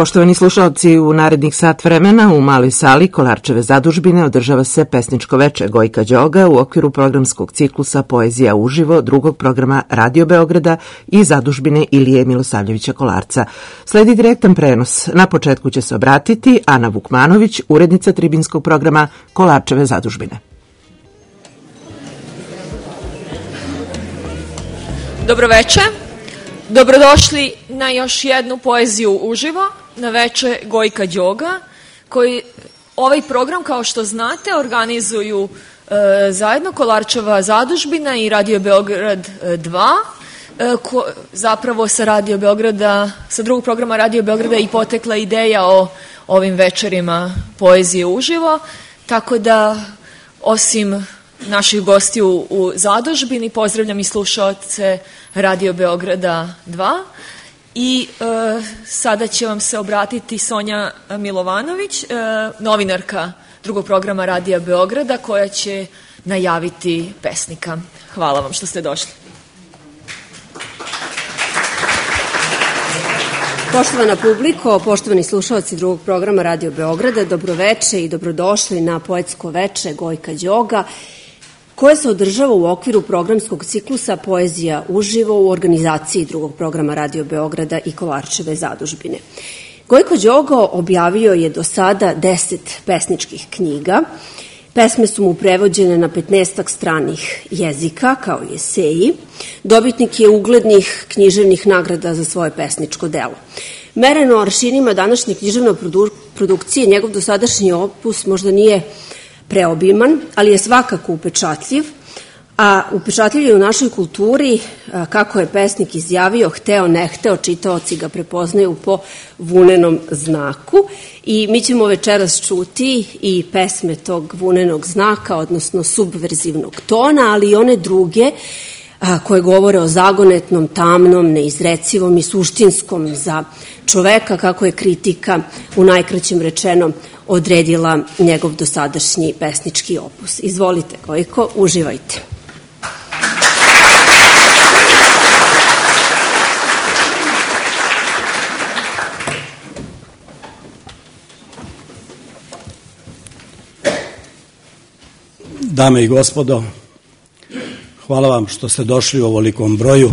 Poštovani slušalci, u narednih sat vremena u maloj sali Kolarčeve zadužbine održava se pesničko veče Gojka Đoga u okviru programskog ciklusa Poezija uživo drugog programa Radio Beograda i zadužbine Ilije Milosavljevića Kolarca. Sledi direktan prenos. Na početku će se obratiti Ana Vukmanović, urednica tribinskog programa Kolarčeve zadužbine. Dobroveče. Dobrodošli na još jednu poeziju uživo, na veče Gojka Đoga, koji ovaj program, kao što znate, organizuju zajedno Kolarčeva zadužbina i Radio Beograd 2. Zapravo sa Radio Beograda, sa drugog programa Radio Beograda i potekla ideja o ovim večerima poezije uživo, tako da osim naših gostiju u zadužbini pozdravljam i slušaoce Radio Beograda 2 i sada će vam se obratiti Sonja Milovanović, novinarka drugog programa Radija Beograda, koja će najaviti pesnika. Hvala vam što ste došli. Poštovana publiko, poštovani slušalci drugog programa Radio Beograda, dobroveče i dobrodošli na poetsko veče Gojka Đoga, koje se održava u okviru programskog ciklusa Poezija uživo u organizaciji drugog programa Radio Beograda i Kolarčeve zadužbine. Gojko Đoga objavio je do sada 10 pesničkih knjiga. Pesme su mu prevođene na 15 stranih jezika, kao i eseji. Dobitnik je uglednih književnih nagrada za svoje pesničko delo. Mereno aršinima današnje književne produkcije, njegov dosadašnji opus možda nije preobiman, ali je svakako upečatljiv, a upečatljiv je u našoj kulturi, kako je pesnik izjavio, hteo, ne hteo, čitaoci ga prepoznaju po vunenom znaku i mi ćemo večeras čuti i pesme tog vunenog znaka, odnosno subverzivnog tona, ali i one druge koje govore o zagonetnom, tamnom, neizrecivom i suštinskom za čoveka, kako je kritika u najkraćem rečeno odredila njegov dosadašnji pesnički opus. Izvolite, Gojko, uživajte. Dame i gospodo, hvala vam što ste došli u ovolikom broju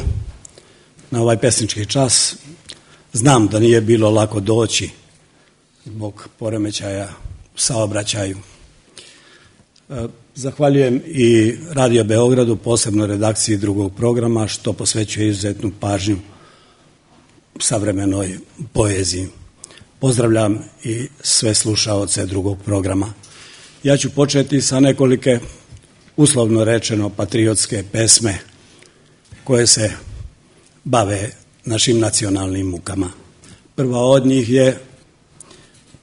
na ovaj pesnički čas. Znam da nije bilo lako doći zbog poremećaja u saobraćaju. Zahvaljujem i Radio Beogradu, posebno redakciji drugog programa, što posvećuje izuzetnu pažnju savremenoj poeziji. Pozdravljam i sve slušaoce drugog programa. Ja ću početi sa nekolike, uslovno rečeno, patriotske pesme koje se bave našim nacionalnim mukama. Prva od njih je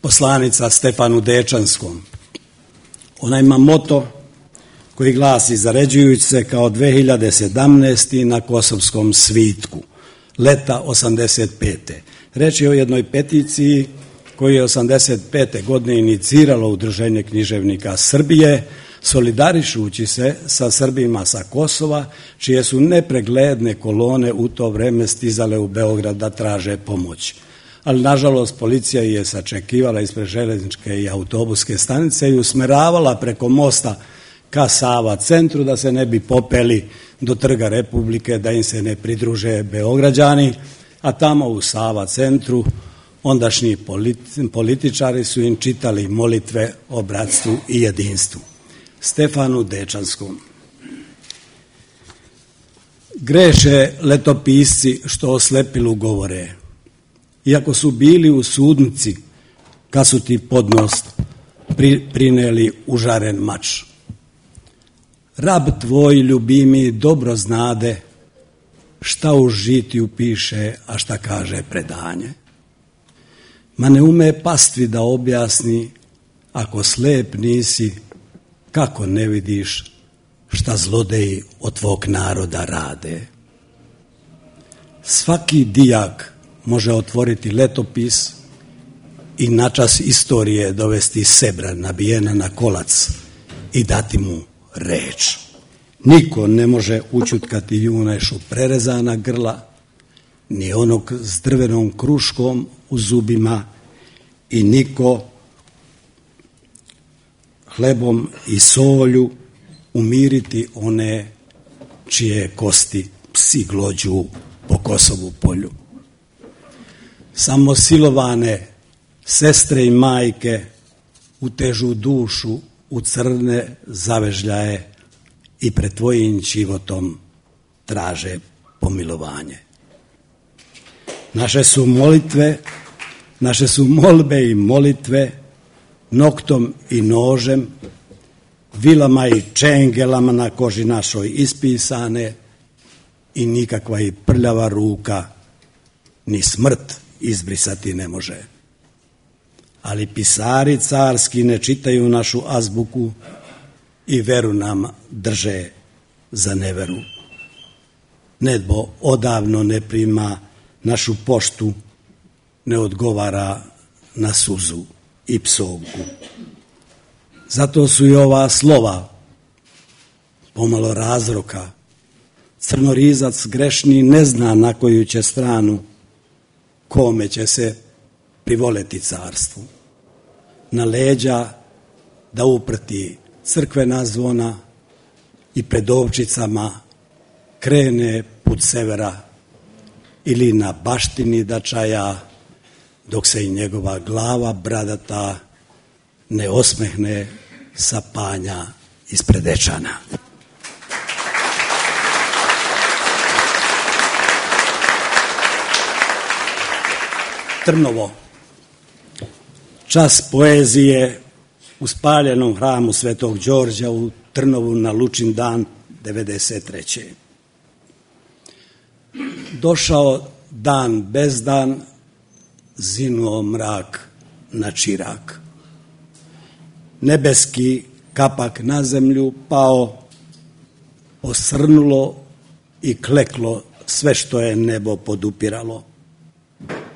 poslanica Stefanu Dečanskom. Ona ima moto koji glasi: zaređujući se kao 2017. na Kosovskom svitku, leta 85. Reč je o jednoj peticiji koju je 85. godine iniciralo Udruženje književnika Srbije, solidarišući se sa Srbima sa Kosova, čije su nepregledne kolone u to vreme stizale u Beograd da traže pomoć. Ali, nažalost, policija je sačekivala ispred železničke i autobuske stanice i usmeravala preko mosta ka Sava centru da se ne bi popeli do Trga Republike, da im se ne pridruže Beograđani, a tamo u Sava centru ondašnji političari su im čitali molitve o bratstvu i jedinstvu. Stefanu Dečanskom. Greše letopisci što o slepilu govore, iako su bili u sudnici kad su ti pod nos prineli užaren mač. Rab tvoj ljubimi dobro znade šta u žitiju piše, a šta kaže predanje. Ma ne ume pastvi da objasni, ako slep nisi, kako ne vidiš šta zlodeji od tvog naroda rade. Svaki dijak može otvoriti letopis i načas istorije dovesti sebra nabijena na kolac i dati mu reč. Niko ne može učutkati junešu prerezana grla, ni onog s drvenom kruškom u zubima i niko hlebom i solju umiriti one čije kosti psi glođu po Kosovu polju. Samo silovane sestre i majke utežu dušu u crne zavežljaje i pred tvojim životom traže pomilovanje. Naše su molbe i molitve noktom i nožem, vilama i čengelama na koži našoj ispisane i nikakva i prljava ruka ni smrt izbrisati ne može. Ali pisari carski ne čitaju našu azbuku i veru nam drže za neveru. Nebo odavno ne prima našu poštu, ne odgovara na suzu i psovku. Zato su i ova slova pomalo razroka. Crnorizac grešni ne zna na koju će stranu, kome će se privoleti carstvu. Na leđa da uprti crkvena zvona i pred ovčicama krene put severa ili na baštini da čaja, dok se i njegova glava bradata ne osmehne sa panja ispred Ečana. Trnovo, čas poezije u spaljenom hramu Svetog Đorđa u Trnovu na Lučin dan 93. Došao dan bez dan, zinuo mrak na čirak. Nebeski kapak na zemlju pao, osrnulo i kleklo sve što je nebo podupiralo.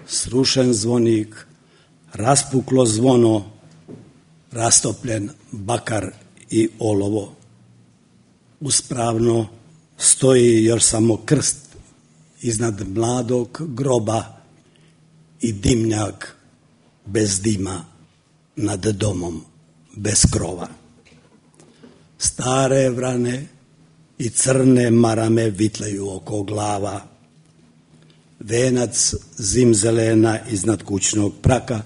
Srušen zvonik, raspuklo zvono, rastopljen bakar i olovo. Uspravno stoji još samo krst iznad mladog groba i dimnjak bez dima nad domom bez krova. Stare vrane i crne marame vitlaju oko glava. Venac zimzelena iznad kućnog praka,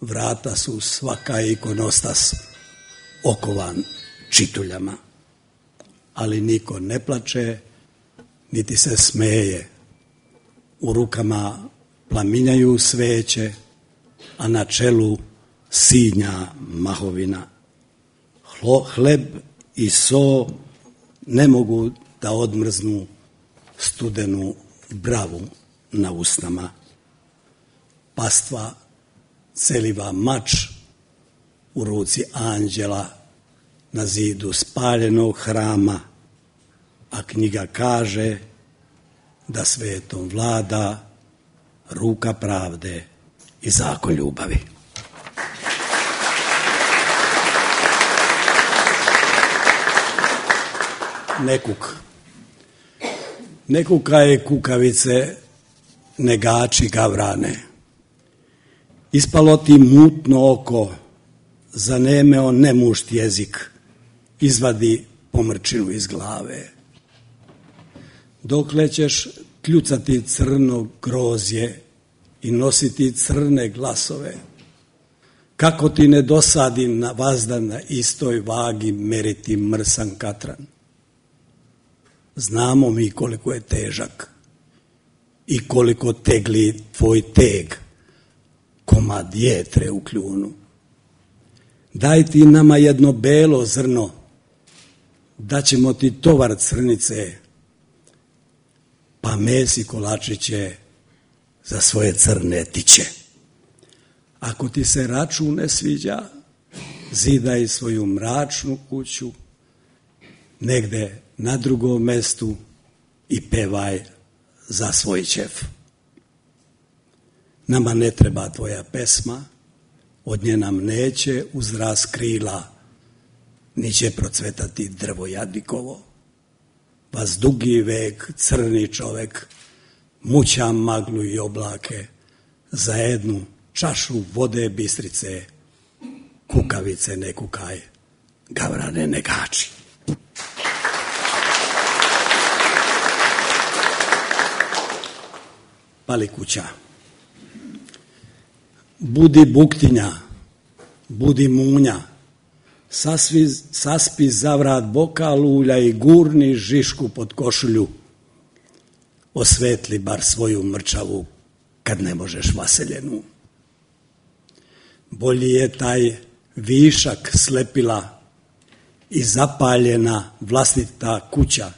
vrata su svaka ikonostas okovan čituljama. Ali niko ne plače, niti se smeje. U rukama plaminjaju sveće, a na čelu sinja mahovina. Hleb i so ne mogu da odmrznu studenu bravu na usnama. Pastva celiva mač u ruci anđela na zidu spaljenog hrama, a knjiga kaže da svetom vlada ruka pravde i zakon ljubavi. Ne kukaj kukavice, negači gavrane. Ispalo ti mutno oko, zanemeo nemušt jezik, izvadi pomrčinu iz glave. Dokle ćeš kljucati crno grozje i nositi crne glasove, kako ti ne dosadi na vazdan na istoj vagi meriti mrsan katran. Znamo mi koliko je težak i koliko tegli tvoj teg, komad jetre u kljunu. Daj ti nama jedno belo zrno, daćemo ti tovar crnice, pa mesi kolačiće za svoje crne tiće. Ako ti se račun ne sviđa, zidaj svoju mračnu kuću negde na drugom mestu i pevaj za svoj ćef. Nama ne treba tvoja pesma, od nje nam neće uzrast krila, ni će procvetati drvo jadnikovo. Vas dugi vek, crni čovek, muća maglu i oblake za jednu čašu vode Bistrice, kukavice ne kukaj, gavrane ne gači. Pali kuća. Budi buktinja, budi munja, saspi zavrat boka lulja i gurni žišku pod košulju. Osvetli bar svoju mrčavu kad ne možeš vaseljenu. Bolji je taj višak slepila i zapaljena vlastita kuća,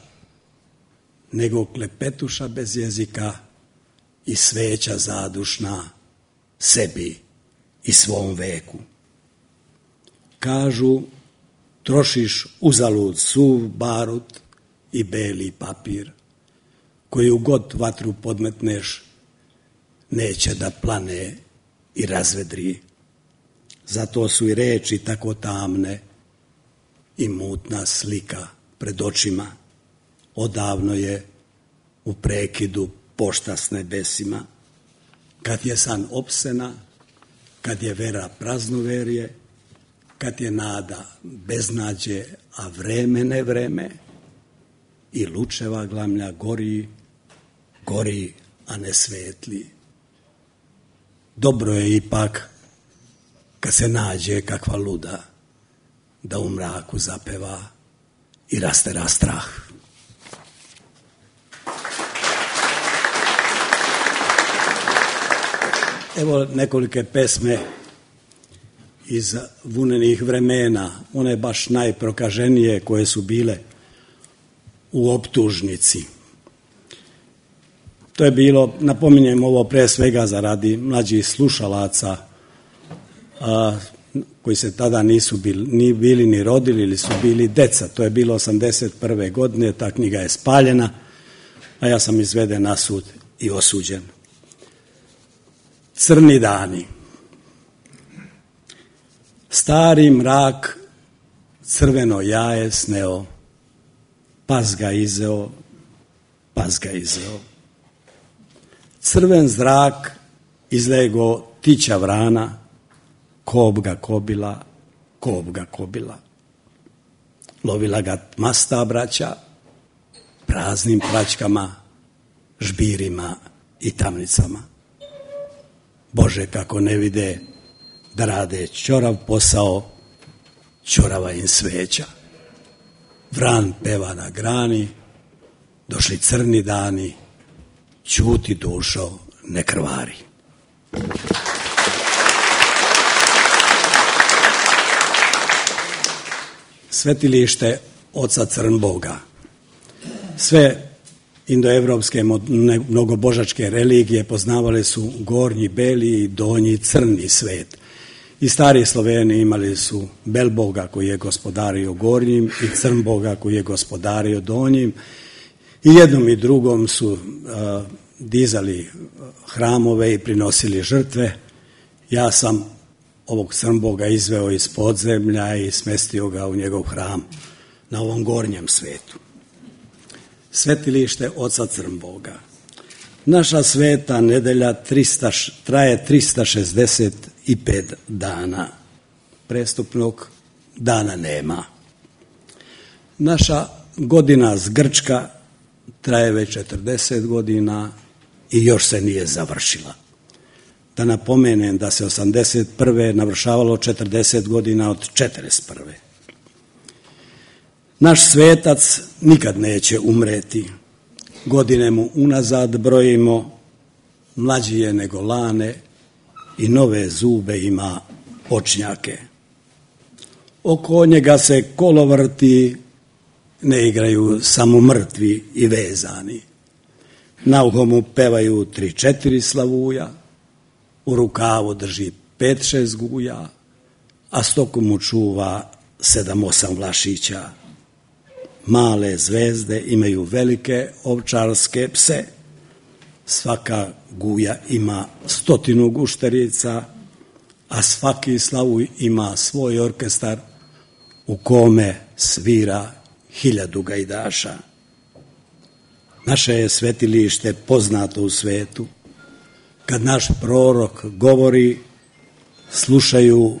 nego klepetuša bez jezika i sveća zadušna sebi i svom veku. Kažu, trošiš uzalud suv barut i beli papir, koju god vatru podmetneš, neće da plane i razvedri. Zato su i reči tako tamne i mutna slika pred očima. Odavno je u prekidu pošta s nebesima. Kad je san opsena, kad je vera praznoverje, kad je nada beznađe, a vreme ne vreme, i lučeva glamlja gori, a ne svetli. Dobro je ipak kad se nađe kakva luda, da u mraku zapeva i rastera strah. Evo nekolike pesme iz vunenih vremena, one baš najprokaženije koje su bile u optužnici. To je bilo, napominjem ovo pre svega zaradi mlađih slušalaca, koji se tada nisu bili ni rodili ili su bili deca. To je bilo 81. godine, ta knjiga je spaljena, a ja sam izveden na sud i osuđen. Crni dani. Stari mrak crveno jaje sneo, pas ga izeo. Crven zrak izlego tića vrana, kob ga kobila. Lovila ga masta braća, praznim praćkama, žbirima i tamnicama. Bože, kako ne vide da rade ćorav posao, ćorava im sveća. Vran peva na grani, došli crni dani, ćuti dušo, ne krvari. Svetilište oca Crnboga. Sve indoevropske mnogobožačke religije poznavale su gornji beli i donji crni svet. I stari Sloveni imali su Belboga koji je gospodario gornjim i Crnboga koji je gospodario donjim. I jednom i drugom su dizali hramove i prinosili žrtve. Ja sam ovog Crnboga izveo iz podzemlja i smestio ga u njegov hram na ovom gornjem svetu. Svetilište oca Crnboga. Naša sveta nedelja traje 365 dana. Prestupnog dana nema. Naša godina zgrčka traje već 40 godina i još se nije završila. Da napomenem da se 81. navršavalo 40 godina od 41. Naš svetac nikad neće umreti. Godine mu unazad brojimo, mlađi je nego lane i nove zube ima očnjake. Oko njega se kolo vrti, ne igraju samo mrtvi i vezani. Na uho mu pevaju 3-4 slavuja, u rukavu drži 5-6 guja, a stoku mu čuva 7-8 vlašića. Male zvezde imaju velike ovčarske pse. Svaka guja ima 100 gušterica, a svaki slavuj ima svoj orkestar u kome svira 1000 gajdaša. Naše je svetilište poznato u svetu. kad naš prorok govori, slušaju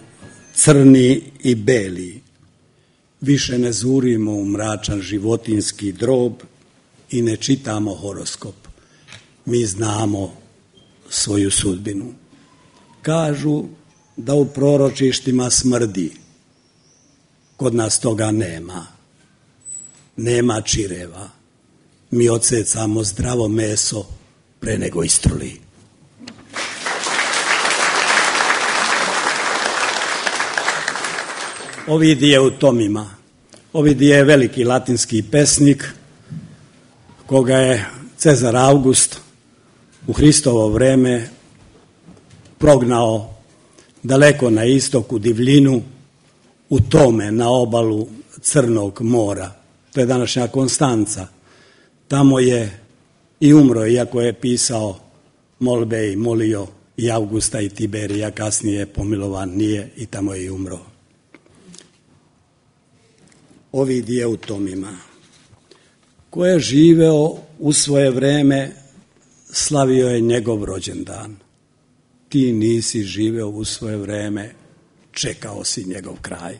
crni i beli. Više ne zurimo u mračan životinski drob i ne čitamo horoskop. Mi znamo svoju sudbinu. Kažu da u proročištima smrdi. Kod nas toga nema. Nema čireva. Mi odsecamo zdravo meso pre nego istruli. Ovidi je u tomima. Ovidi je veliki latinski pesnik koga je Cezar August u Hristovo vreme prognao daleko na istoku divljinu, u tome na obalu Crnog mora. To je današnja Konstanca. Tamo je i umro, iako je pisao molbe i molio i Augusta i Tiberija, kasnije pomilovan nije i tamo je i umro. Ovid je u tomima. Ko je živeo u svoje vreme, slavio je njegov rođendan. Ti nisi živeo u svoje vreme, čekao si njegov kraj.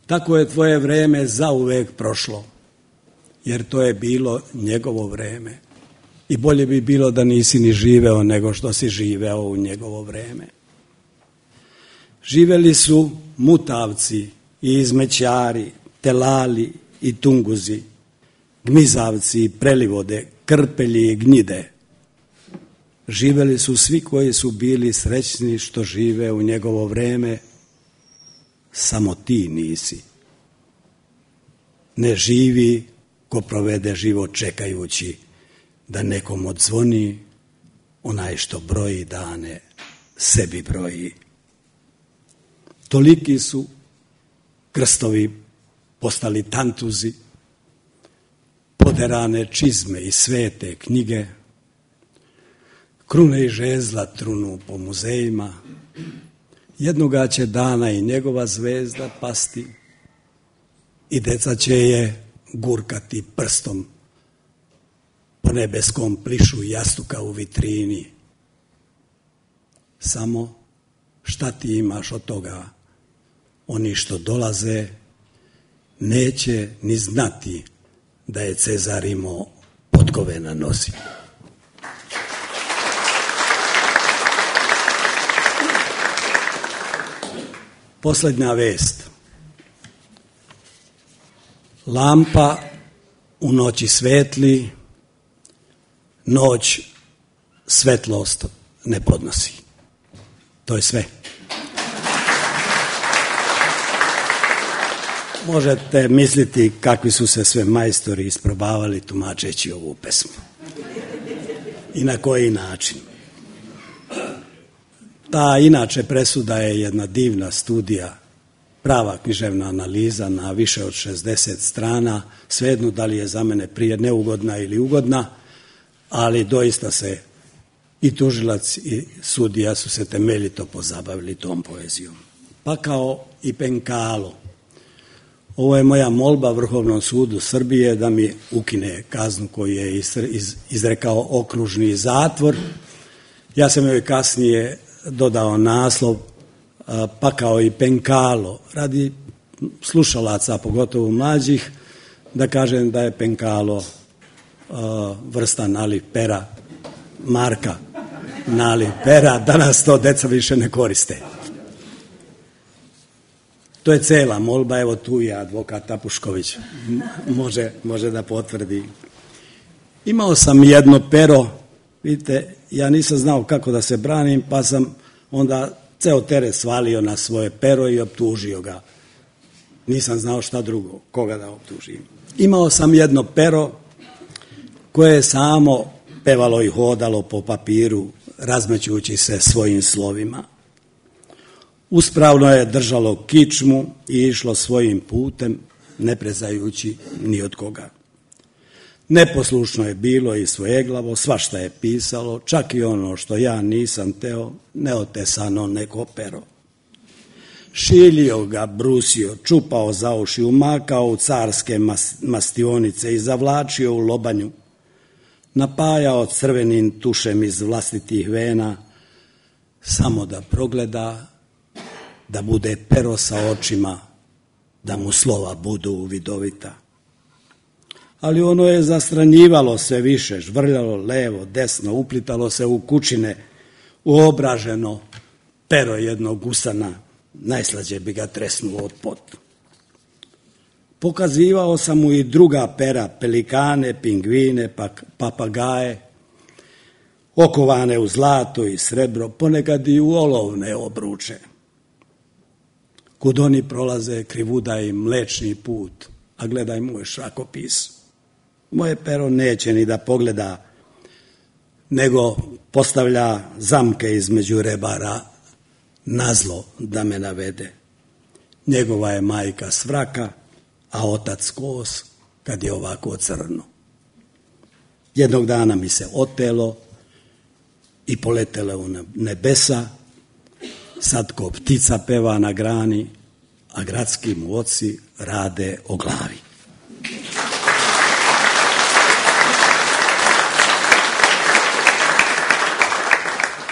Tako je tvoje vreme zauvek prošlo, jer to je bilo njegovo vreme. I bolje bi bilo da nisi ni živeo nego što si živeo u njegovo vreme. Živeli su Mutavci i Izmećari, Telali i Tunguzi, Gmizavci i Prelivode, Krpelji i Gnjide. Živeli su svi koji su bili srećni što žive u njegovo vreme, samo ti nisi. Ne živi ko provede život čekajući da nekom odzvoni, onaj što broji dane, sebi broji. Toliki su krstovi postali tantuzi, poderane čizme i svete knjige, krune i žezla trunu po muzejima, jednoga će dana i njegova zvezda pasti i deca će je gurkati prstom po nebeskom plišu jastuka u vitrini. Samo šta ti imaš od toga? Oni što dolaze neće ni znati da je Cezar imao potkove na nozi. Posljednja vest. Lampa u noći svetli, noć svetlost ne podnosi. To je sve. Možete misliti kakvi su se sve majstori isprobavali tumačeći ovu pesmu. I na koji način. Ta inače presuda je jedna divna studija, prava književna analiza na više od 60 strana, svejedno da li je za mene prije neugodna ili ugodna, ali doista se i tužilac i sudija su se temeljito pozabavili tom poezijom. Pa kao i Penkalo. Ovo je moja molba Vrhovnom sudu Srbije da mi ukine kaznu koju je izrekao okružni zatvor. Ja sam joj kasnije dodao naslov pa kao i Penkalo, radi slušalaca, pogotovo mlađih, da kažem da je Penkalo vrsta naliv pera, marka naliv pera, danas to deca više ne koriste. To je cela molba, evo tu je advokat Tapušković, može da potvrdi. Imao sam jedno pero, vidite, ja nisam znao kako da se branim, pa sam onda ceo teret svalio na svoje pero i optužio ga. Nisam znao šta drugo, koga da optužim. Imao sam jedno pero koje je samo pevalo i hodalo po papiru, razmećujući se svojim slovima. Uspravno je držalo kičmu i išlo svojim putem, ne prezajući ni od koga. Neposlušno je bilo i svojeglavo, svašta je pisalo, čak i ono što ja nisam teo, neotesano neko pero. Šiljio ga, brusio, čupao za uši, umakao u carske mastionice i zavlačio u lobanju. napajao crvenim tušem iz vlastitih vena, samo da progleda, da bude pero sa očima, da mu slova budu vidovita. Ali ono je zastranjivalo sve više, žvrljalo levo, desno, uplitalo se u kućine, uobraženo pero jednog usana, najslađe bi ga tresnuo od pot. Pokazivao sam mu i druga pera, pelikane, pingvine, papagaje, okovane u zlato i srebro, ponekad i u olovne obruče. Kud oni prolaze, krivuda im mlečni put, a gledaj moj šrakopis. Moje pero neće ni da pogleda, nego postavlja zamke između rebara, nazlo da me navede. Njegova je majka svraka, a otac kos kad je ovako crno. Jednog dana mi se otelo i poletele u nebesa, sad ko ptica peva na grani, a gradski mu oci rade o glavi.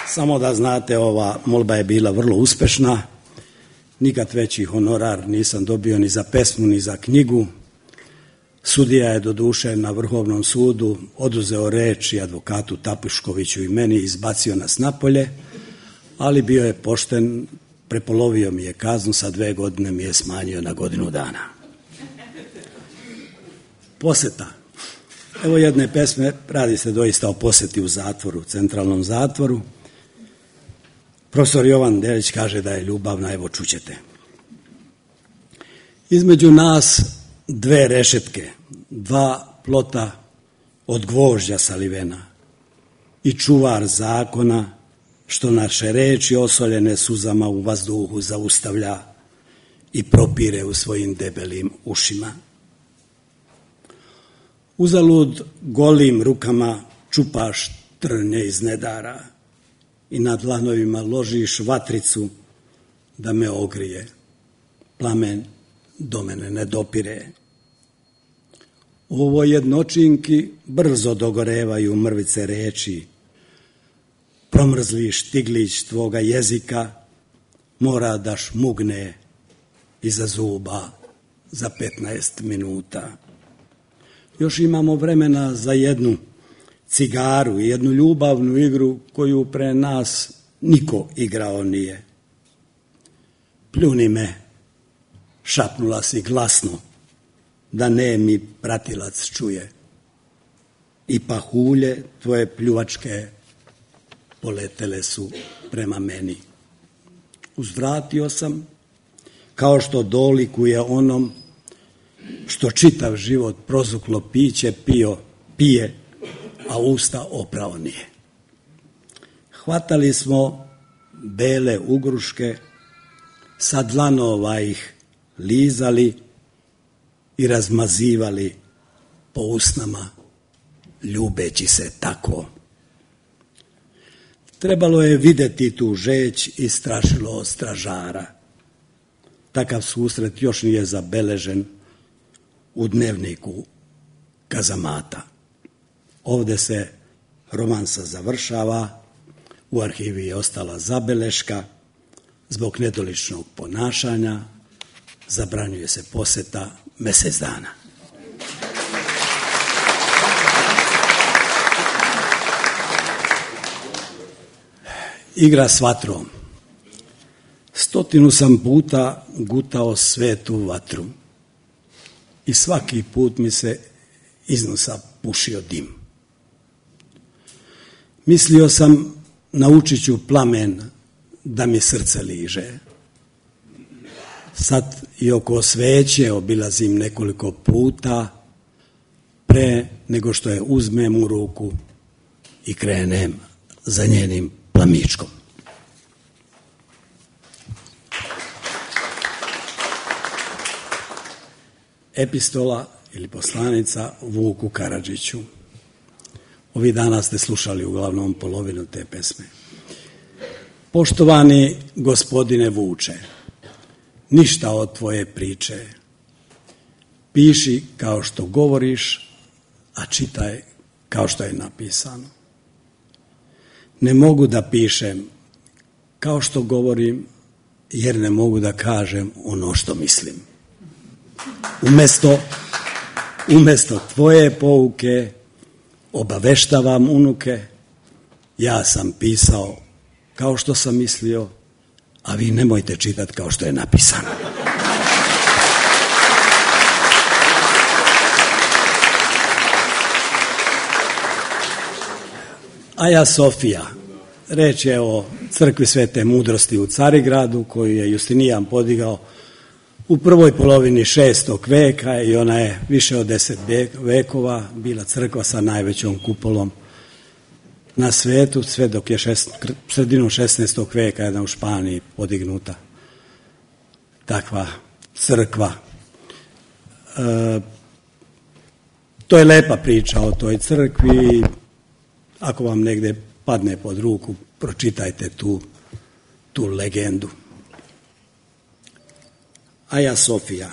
Samo da znate, ova molba je bila vrlo uspešna. Nikad veći honorar nisam dobio ni za pesmu, ni za knjigu. Sudija je doduše na Vrhovnom sudu oduzeo reč i advokatu Tapuškoviću i meni, izbacio nas napolje, ali bio je pošten, prepolovio mi je kaznu, sa 2 godine mi je smanjio na 1 godinu dana. Poseta. Evo jedne pesme, radi se doista o poseti u zatvoru, centralnom zatvoru. Profesor Jovan Delić kaže da je ljubavna, evo čućete. Između nas 2 rešetke, 2 plota od gvožđa salivena i čuvar zakona, što naše reči osoljene suzama u vazduhu zaustavlja i propire u svojim debelim ušima. Uzalud golim rukama čupaš trnje iz nedara i na dlanovima ložiš vatricu da me ogrije. Plamen do mene ne dopire. U ovoj jednočinki brzo dogorevaju mrvice reči. Promrzli štiglić tvoga jezika mora da šmugne iza zuba za 15 minuta. Još imamo vremena za jednu cigaru i jednu ljubavnu igru koju pre nas niko igrao nije. Pljuni me, šapnula si glasno, da nemi pratilac čuje. I pahulje tvoje pljuvačke poletele su prema meni. Uzvratio sam, kao što dolikuje onom što čitav život prozuklo piće pije, a usta oprao nije. Hvatali smo bele ugruške, sa dlanova ih lizali i razmazivali po usnama, ljubeći se tako. Trebalo je videti tu žeć i strašilo od stražara. Takav susret još nije zabeležen u dnevniku kazamata. Ovde se romansa završava, u arhivi je ostala zabeleška, zbog nedoličnog ponašanja zabranjuje se poseta mesec dana. Igra s vatrom. 100 sam puta gutao svetu vatru i svaki put mi se iz nosa pušio dim. Mislio sam, naučit ću plamen da mi srce liže. Sad i oko sveće obilazim nekoliko puta pre nego što je uzmem u ruku i krenem za njenim plamičkom. Epistola ili poslanica Vuku Karadžiću. Ovih dana ste slušali uglavnom polovinu te pesme. Poštovani gospodine Vuče, ništa od tvoje priče. Piši kao što govoriš, a čitaj kao što je napisano. Ne mogu da pišem kao što govorim, jer ne mogu da kažem ono što mislim. Umesto tvoje pouke obaveštavam unuke, ja sam pisao kao što sam mislio, a vi nemojte čitati kao što je napisano. Aja Sofija, reč je o crkvi Svete Mudrosti u Carigradu, koju je Justinijan podigao u prvoj polovini 6. veka i ona je više od 10 vekova bila crkva sa najvećom kupolom na svetu, sve dok je sredinom 16. veka jedna u Španiji podignuta takva crkva. To je lepa priča o toj crkvi. Ako vam negde padne pod ruku, pročitajte tu legendu. Aja Sofija.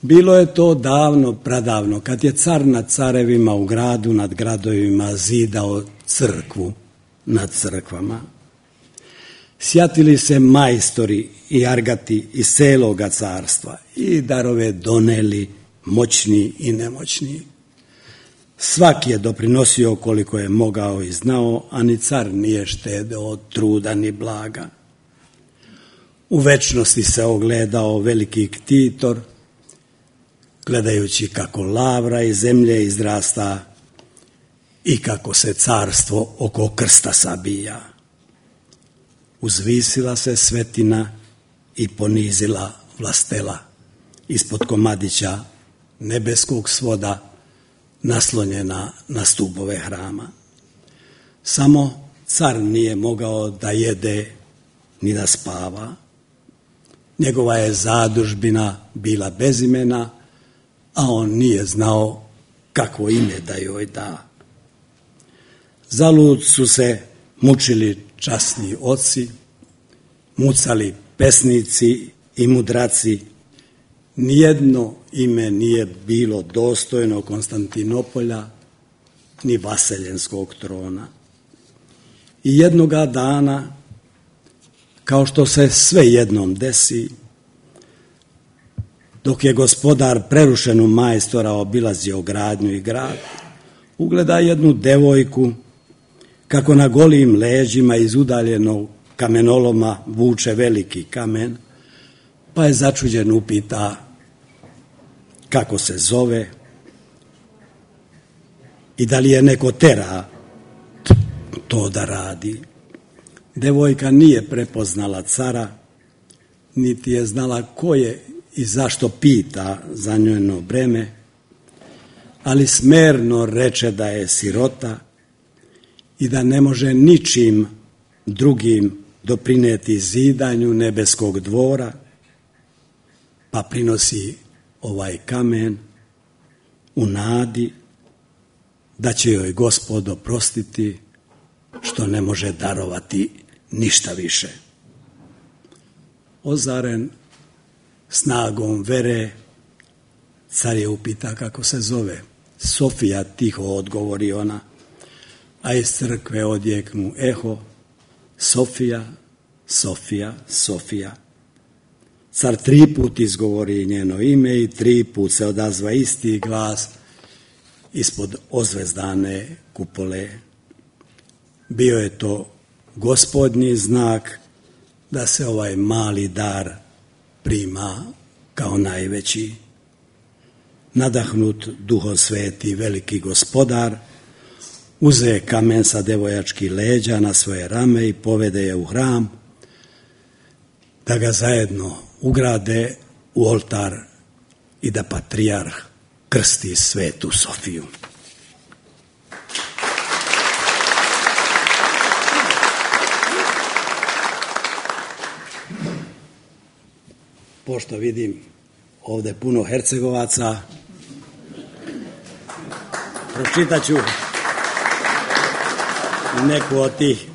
Bilo je to davno, pradavno, kad je car nad carevima u gradu, nad gradovima zidao crkvu nad crkvama. Sjatili se majstori i argati iz celoga carstva i darove doneli moćni i nemoćni. Svaki je doprinosio koliko je mogao i znao, a ni car nije štedeo od truda ni blaga. U večnosti se ogledao veliki ktitor, gledajući kako lavra iz zemlje izrasta i kako se carstvo oko krsta sabija. Uzvisila se svetina i ponizila vlastela ispod komadića nebeskog svoda, naslonjena na stubove hrama. Samo car nije mogao da jede ni da spava. Njegova je zadužbina bila bez imena, a on nije znao kakvo ime da joj da. Zalud su se mučili časni oci, mucali pesnici i mudraci. Nijedno ime nije bilo dostojno Konstantinopolja ni vaseljenskog trona. I jednoga dana, kao što se sve jednom desi, dok je gospodar prerušenu majstora obilazio gradnju i grad, ugleda jednu devojku kako na golim leđima iz udaljenog kamenoloma vuče veliki kamen, pa je začuđen upita kako se zove i da li je neko tera to da radi. Devojka nije prepoznala cara, niti je znala ko je i zašto pita za njeno breme, ali smerno reče da je sirota i da ne može ničim drugim doprineti zidanju nebeskog dvora, pa prinosi ovaj kamen u nadi da će joj Gospod oprostiti što ne može darovati ništa više. Ozaren snagom vere, car je upita kako se zove. Sofija, tiho odgovori ona, a iz crkve odjeknu eho, Sofija, Sofija, Sofija. Car 3 put izgovori njeno ime i 3 put se odazva isti glas ispod ozvezdane kupole. Bio je to Gospodnji znak da se ovaj mali dar prima kao najveći. Nadahnut Duhom Sveti veliki gospodar uze kamen sa devojačkih leđa na svoje rame i povede je u hram da ga zajedno ugrade u oltar i da patrijarh krsti Svetu Sofiju. Pošto vidim ovde puno Hercegovaca, pročitat ću neku od tih,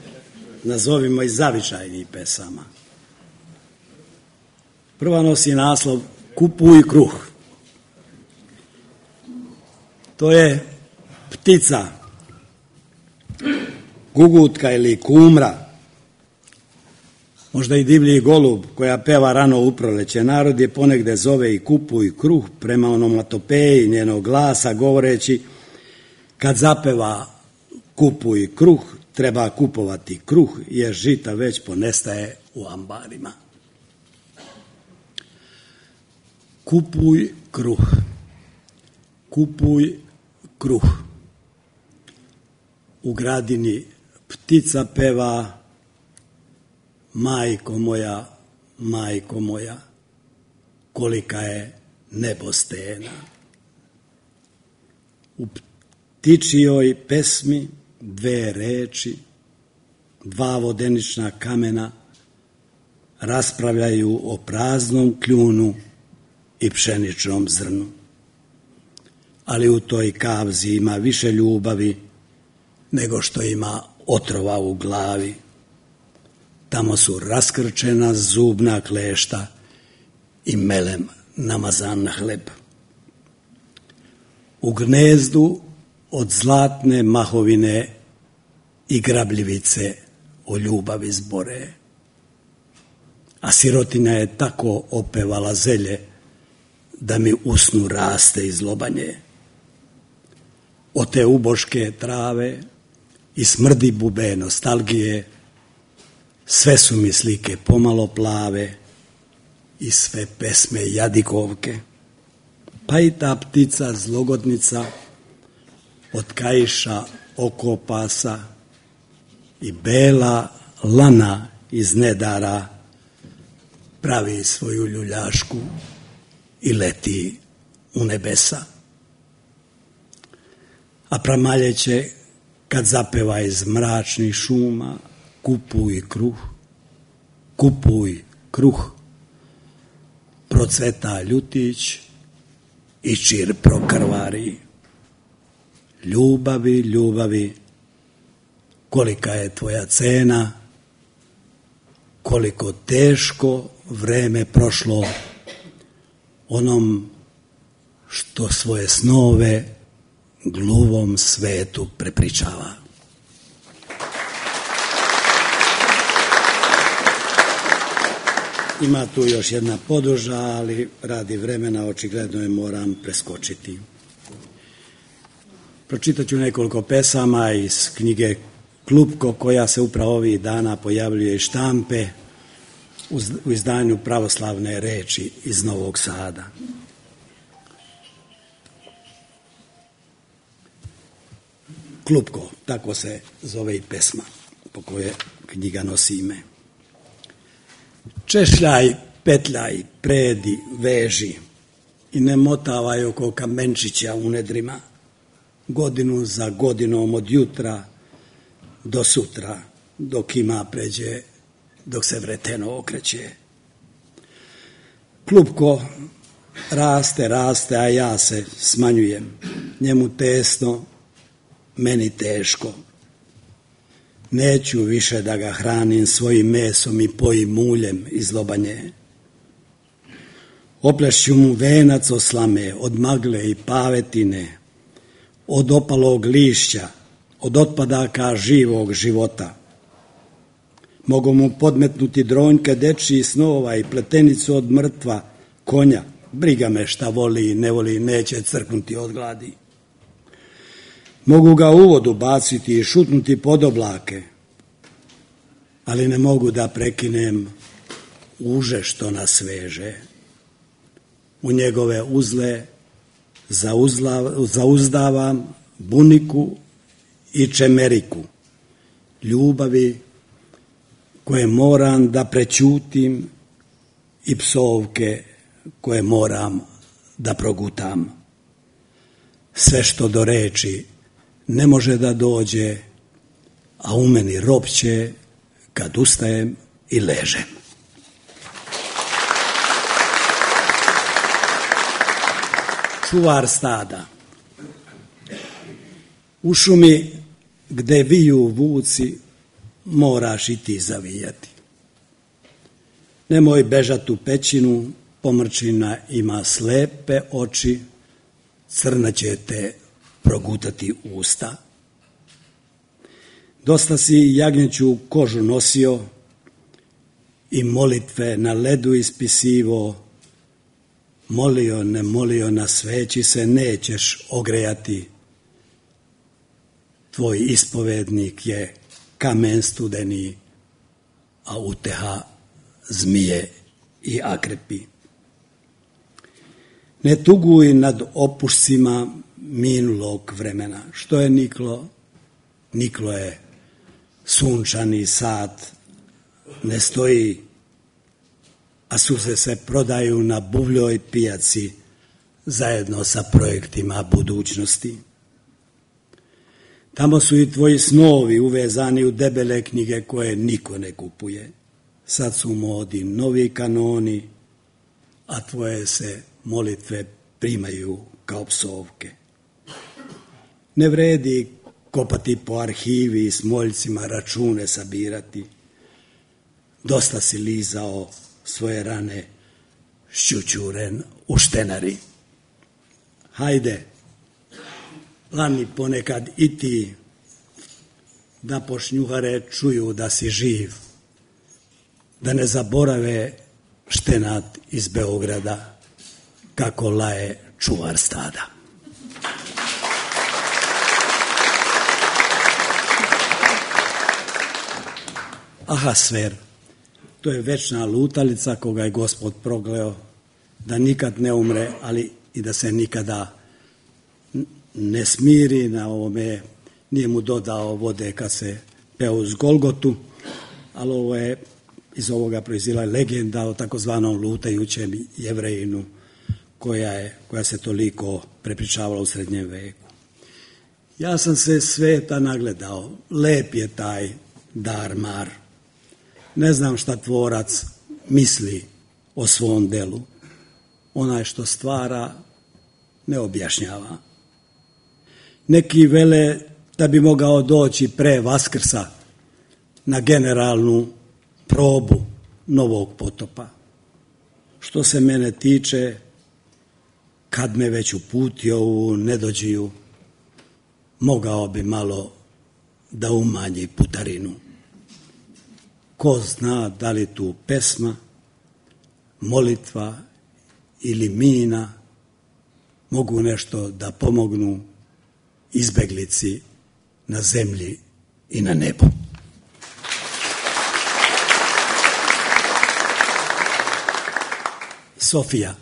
nazovimo i zavičajnih pesama. Prva nosi naslov Kupuj kruh. To je ptica, gugutka ili kumra, možda i divlji golub koja peva rano u proleće. Narod je ponegde zove i kupuj kruh prema onomatopeji njenog glasa, govoreći kad zapeva kupuj kruh, treba kupovati kruh, jer žita već ponestaje u ambarima. Kupuj kruh, kupuj kruh. U gradini ptica peva, majko moja, kolika je nebo stena. U ptičijoj pesmi dve reči, dva vodenična kamena raspravljaju o praznom kljunu i pšeničnom zrnu. Ali u toj kavzi ima više ljubavi nego što ima otrova u glavi. Tamo su raskrčena zubna klešta i melem namazan na hleb. U gnezdu od zlatne mahovine i grabljivice o ljubavi zbore. A sirotinja je tako opevala zelje da mi usnu raste iz lobanje. Od te uboške trave i smrdi bube nostalgije, sve su mi slike pomalo plave i sve pesme jadikovke. Pa i ta ptica zlogodnica od kaiša okopasa i bela lana iz nedara pravi svoju ljuljašku i leti u nebesa. A pramaljeće kad zapeva iz mračnih šuma, kupuj kruh, kupuj kruh, procveta ljutić i čir prokrvari. Ljubavi, ljubavi, kolika je tvoja cena, koliko teško vreme prošlo onom što svoje snove gluvom svetu prepričava. Ima tu još jedna poduža, ali radi vremena očigledno je moram preskočiti. Pročitat ću nekoliko pesama iz knjige Klupko, koja se upravo ovih dana pojavljuje iz štampe u izdanju Pravoslavne reči iz Novog Sada. Klupko, tako se zove i pesma po kojoj knjiga nosi ime. Češljaj, petljaj, predi, veži i ne motavaj oko kamenčića u nedrima, godinu za godinom od jutra do sutra, dok ima pređe, dok se vreteno okreće. Klupko raste, raste, a ja se smanjujem. Njemu tesno, meni teško. Neću više da ga hranim svojim mesom i pojim muljem iz lobanje. Oplešću mu venac od slame, od magle i pavetine, od opalog lišća, od otpadaka živog života. Mogu mu podmetnuti dronjke dečiji snova i pletenicu od mrtva konja. Briga me šta voli i ne voli, neće crknuti od gladi. Mogu ga u vodu baciti i šutnuti pod oblake, ali ne mogu da prekinem uže što nas veže. U njegove uzle zauzdavam buniku i čemeriku, ljubavi koje moram da prećutim i psovke koje moram da progutam. Sve što do reči ne može da dođe, a u meni ropće kad ustajem i ležem. Čuvar stada. U šumi gde viju vuci moraš i ti zavijati. Nemoj bežat u pećinu, pomrčina ima slepe oči, crna će te progutati usta. Dosta si jagnjeću kožu nosio i molitve na ledu ispisivo, molio, ne molio, na sveći se nećeš ogrejati. Tvoj ispovednik je kamen studeni, a uteha zmije i akrepi. Ne tuguj nad opušcima minulog vremena. Što je niklo? Niklo je sunčani sat, ne stoji, a suze se prodaju na buvljoj pijaci zajedno sa projektima budućnosti. Tamo su i tvoji snovi uvezani u debele knjige koje niko ne kupuje. Sad su u modi novi kanoni, a tvoje se molitve primaju kao psovke. Ne vredi kopati po arhivi i s moljcima račune sabirati. Dosta si lizao svoje rane šćućuren u štenari. Hajde, lani ponekad i ti, da pošnjuhare čuju da si živ, da ne zaborave štenat iz Beograda kako laje čuvar stada. Ahasver, to je večna lutalica koga je Gospod progleo da nikad ne umre, ali i da se nikada ne smiri. Na ovome nije mu dodao vode kad se peo uz Golgotu, ali ovo je, iz ovoga proizila legenda o takozvanom lutajućem Jevrejinu koja se toliko prepričavala u srednjem veku. Ja sam se sveta nagledao, lep je taj dar-mar. Ne znam šta tvorac misli o svom delu. Onaj što stvara ne objašnjava. Neki vele da bi mogao doći pre Vaskrsa na generalnu probu novog potopa. Što se mene tiče, kad me već uputio u nedođiju, mogao bi malo da umanji putarinu. Ko zna da li tu pesma, molitva ili mina mogu nešto da pomognu izbeglici na zemlji i na nebu. Sofija.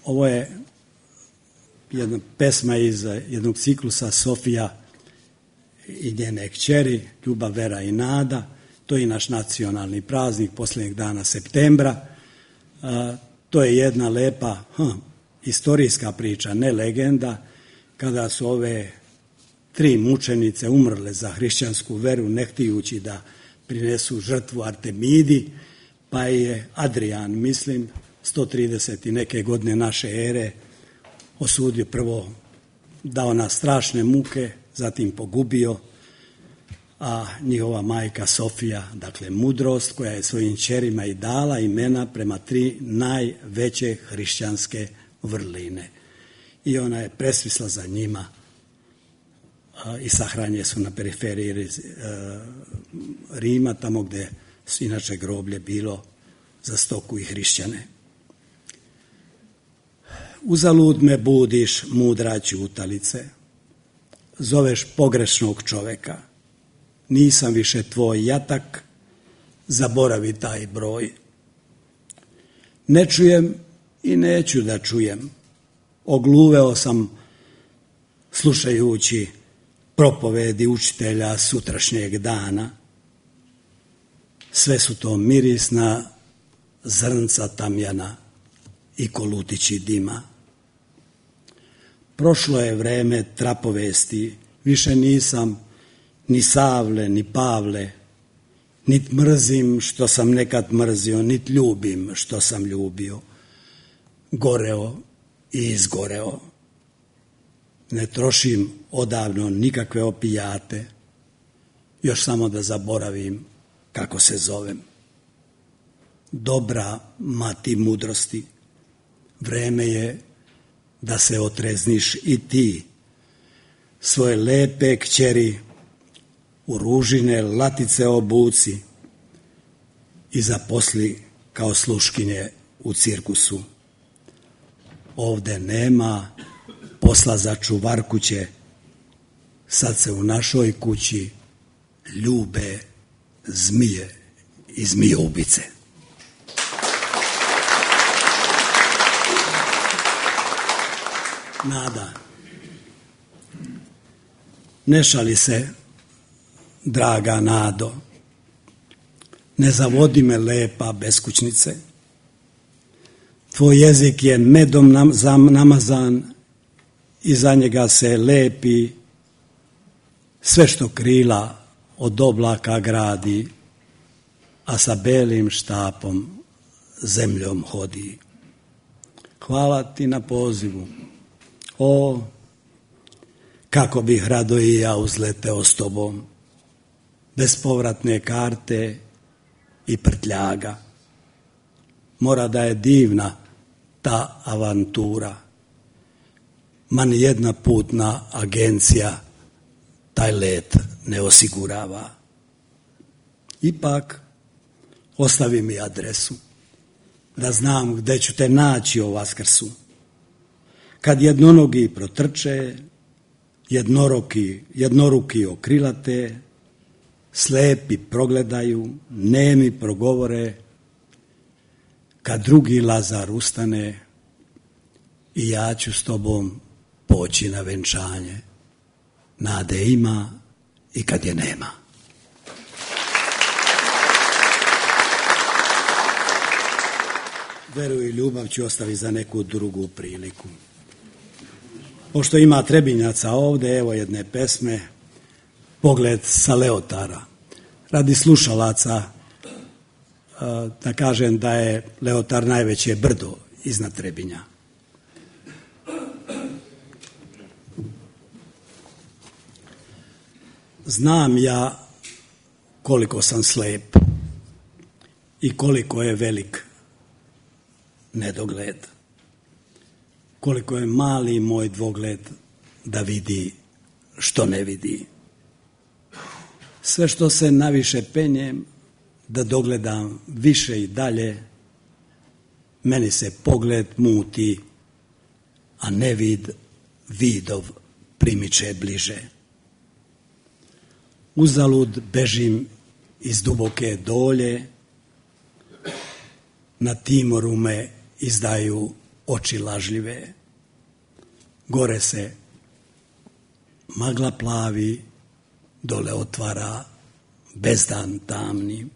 Ovo je jedna pesma iz jednog ciklusa Sofija i njene kćeri, Ljubav, vera i nada. To je i naš nacionalni praznik posljednjeg dana septembra. To je jedna lepa istorijska priča, ne legenda, kada su ove 3 mučenice umrle za hrišćansku veru, ne htijući da prinesu žrtvu Artemidi, pa je Adrijan, mislim, 130 i neke godine naše ere, osudio, prvo dao na strašne muke, zatim pogubio, a njihova majka Sofija, dakle mudrost, koja je svojim ćerima i dala imena prema 3 najveće hrišćanske vrline. I ona je presvisla za njima i sahranjene su na periferiji Rima, tamo gde su inače groblje bilo za stoku i hrišćane. Uzalud me budiš, mudra ćutalice, zoveš pogrešnog čoveka, nisam više tvoj jatak, zaboravi taj broj. Ne čujem i neću da čujem, ogluveo sam slušajući propovedi učitelja sutrašnjeg dana. Sve su to mirisna zrnca tamjana i kolutići dima. Prošlo je vreme trapovesti, više nisam ni Savle, ni Pavle, nit mrzim što sam nekad mrzio, nit ljubim što sam ljubio. Goreo i izgoreo. Ne trošim odavno nikakve opijate, još samo da zaboravim kako se zovem. Dobra mati mudrosti, vreme je da se otrezniš i ti, svoje lepe kćeri u ružine latice obuci i zaposli kao sluškinje u cirkusu. Ovde nema posla za čuvarkuće, sad se u našoj kući ljube zmije i zmijoubice. Nada. Ne šali se, draga Nado, ne zavodi me lepa beskućnice. Tvoj jezik je medom namazan i za njega se lepi sve što krila od oblaka gradi, a sa belim štapom zemljom hodi. Hvala ti na pozivu. O, kako bih rado i ja uzleteo s tobom, bez povratne karte i prtljaga. Mora da je divna ta avantura. Ma ni jedna putna agencija taj let ne osigurava. Ipak, ostavi mi adresu, da znam gde ću te naći o Vaskrsu. Kad jednonogi protrče, jednoruki okrilate, slepi progledaju, nemi progovore, kad drugi Lazar ustane, i ja ću s tobom poći na venčanje. Nade ima i kad je nema. Veru i ljubav ću ostaviti za neku drugu priliku. Pošto ima Trebinjaca ovde, evo jedne pesme, Pogled sa Leotara. Radi slušalaca, da kažem da je Leotar najveće brdo iznad Trebinja. Znam ja koliko sam slep i koliko je velik nedogled, koliko je mali moj dvogled da vidi što ne vidi. Sve što se naviše penjem da dogledam više i dalje, meni se pogled muti, a nevid vidov primiče bliže. Uzalud bežim iz duboke dolje, na Timoru me izdaju oči lažljive. Gore se magla plavi, dole otvara bezdan tamni.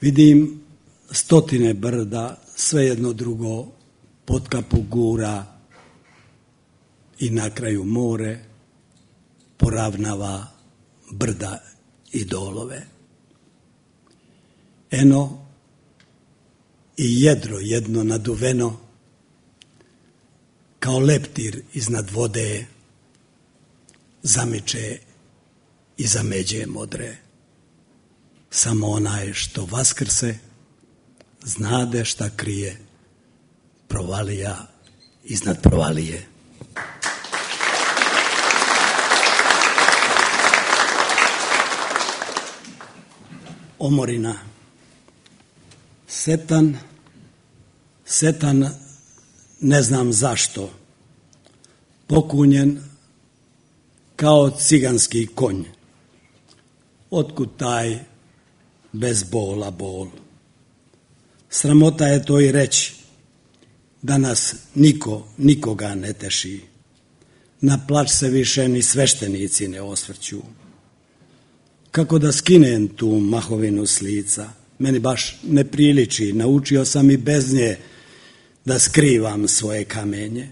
Vidim stotine brda, sve jedno drugo pod kapu gura i na kraju more poravnava brda i dolove. Eno i jedro jedno naduveno, kao leptir iznad vode, zamiče i zameđe modre. Samo onaj što vaskrse, znade šta krije, provalija iznad provalije. Omorina. Setan, ne znam zašto, pokunjen kao ciganski konj. Otkud taj bez bola bol? Sramota je to i reći, da nas nikoga ne teši. Na plač se više ni sveštenici ne osvrću. Kako da skinem tu mahovinu s lica? Meni baš ne priliči, naučio sam i bez nje da skrivam svoje kamenje.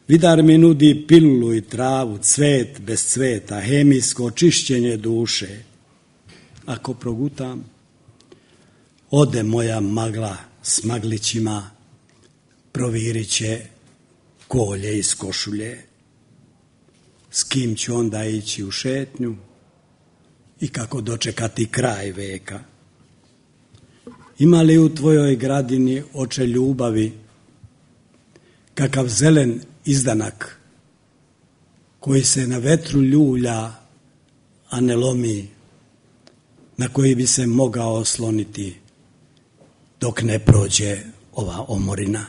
Vidar mi nudi pilulu i travu, cvet bez cveta, hemijsko čišćenje duše. Ako progutam, ode moja magla s maglićima, provirit će kolje iz košulje. S kim ću onda ići u šetnju i kako dočekati kraj veka? Ima li u tvojoj gradini oče ljubavi kakav zelen izdanak koji se na vetru ljulja, a ne lomi, na koji bi se mogao osloniti dok ne prođe ova omorina.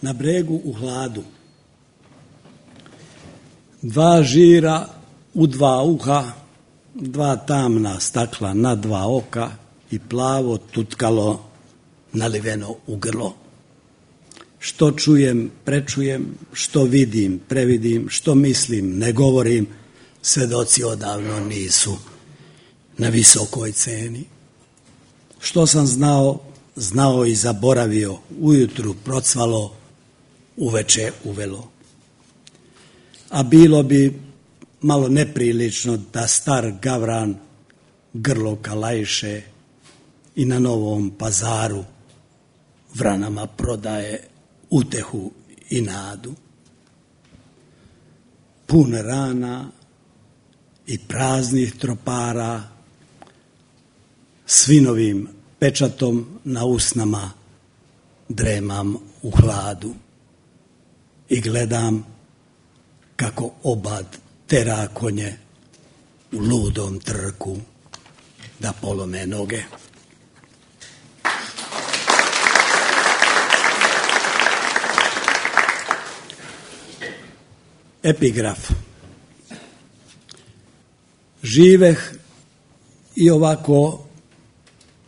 Na bregu u hladu, dva žira u dva uha, dva tamna stakla na dva oka i plavo tutkalo naliveno u grlo. Što čujem, prečujem, što vidim, previdim, što mislim, ne govorim, svedoci odavno nisu na visokoj ceni. Što sam znao, znao i zaboravio, ujutru procvalo, uveče uvelo. A bilo bi malo neprilično da star gavran grlo kalajše i na Novom Pazaru vranama prodaje utehu i nadu. Pun rana i praznih tropara, svinovim pečatom na usnama dremam u hladu i gledam kako obad tera konje u ludom trku da polome noge. Epigraf. Živeh i ovako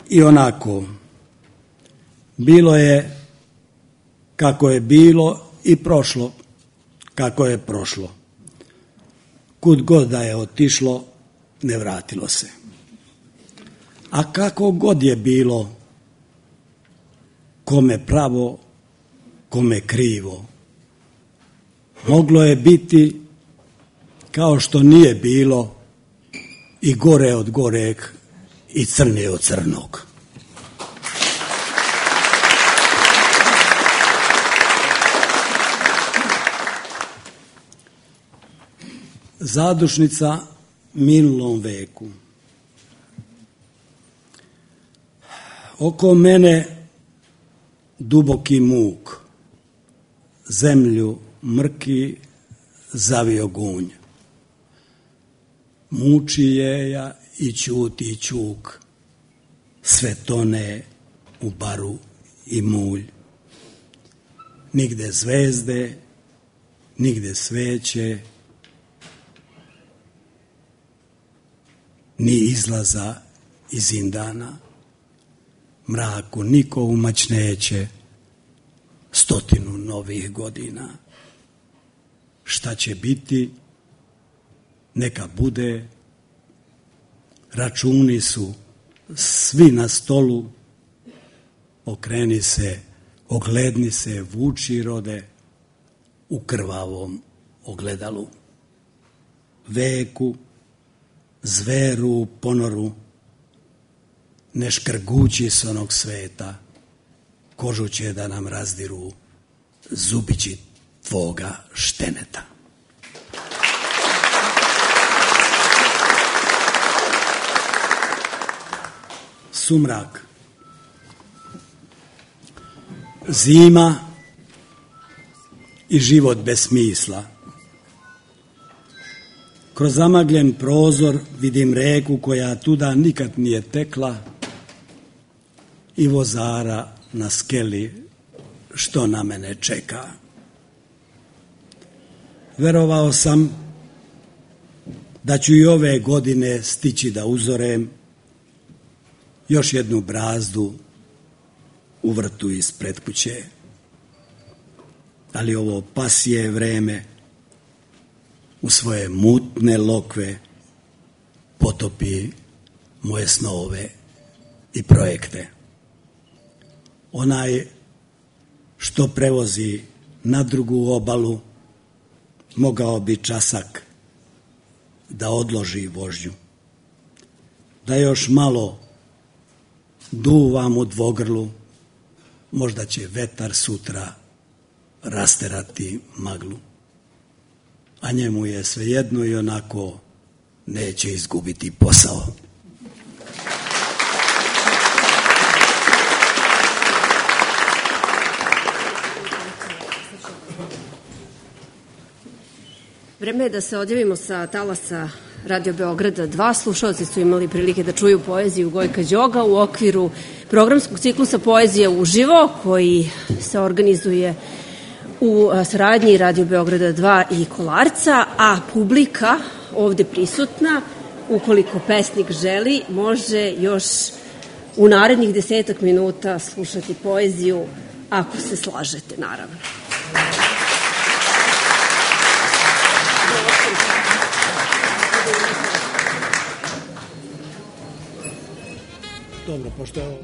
i onako. Bilo je kako je bilo i prošlo kako je prošlo. Kud god da je otišlo, ne vratilo se. A kako god je bilo, kome pravo, kome krivo, moglo je biti kao što nije bilo i gore od goreg i crnije od crnog. Zadušnica minulom veku. Oko mene duboki muk, zemlju mrki zavio gunj. Muči jeja i ćuti ćuk, sve tone u baru i mulj. Nigde zvezde, nigde sveće, ni izlaza iz zindana. Mraku niko umać neće 100 novih godina. Šta će biti, neka bude, računi su svi na stolu, okreni se, ogledni se, vuči rode u krvavom ogledalu. Veku, zveru u ponoru, ne škrgući s onog sveta, kožu će da nam razdiru zubići tvoga šteneta. Sumrak. Zima i život bez smisla. Kroz zamagljen prozor vidim reku koja tuda nikad nije tekla i vozara na skeli što na mene čeka. Verovao sam da ću i ove godine stići da uzorem još jednu brazdu u vrtu ispred kuće. Ali ovo pasije vreme u svoje mutne lokve potopi moje snove i projekte. Onaj što prevozi na drugu obalu mogao bi časak da odloži vožnju, da još malo duvam u dvogrlu, možda će vetar sutra rasterati maglu, a njemu je svejedno i onako neće izgubiti posao. Vreme je da se odjavimo sa talasa Radio Beograda 2. Slušalci su imali prilike da čuju poeziju Gojka Đoga u okviru programskog ciklusa Poezija uživo, koji se organizuje u saradnji Radio Beograda 2 i Kolarca, a publika ovde prisutna, ukoliko pesnik želi, može još u narednih 10 minuta slušati poeziju, ako se slažete, naravno. Dobro, pošto je ovo...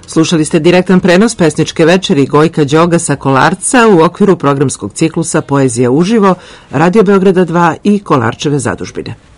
Slušali ste direktan prenos pesničke večeri Gojka Đoga sa Kolarca u okviru programskog ciklusa Poezija uživo, Radio Beograda 2 i Kolarčeve zadužbine.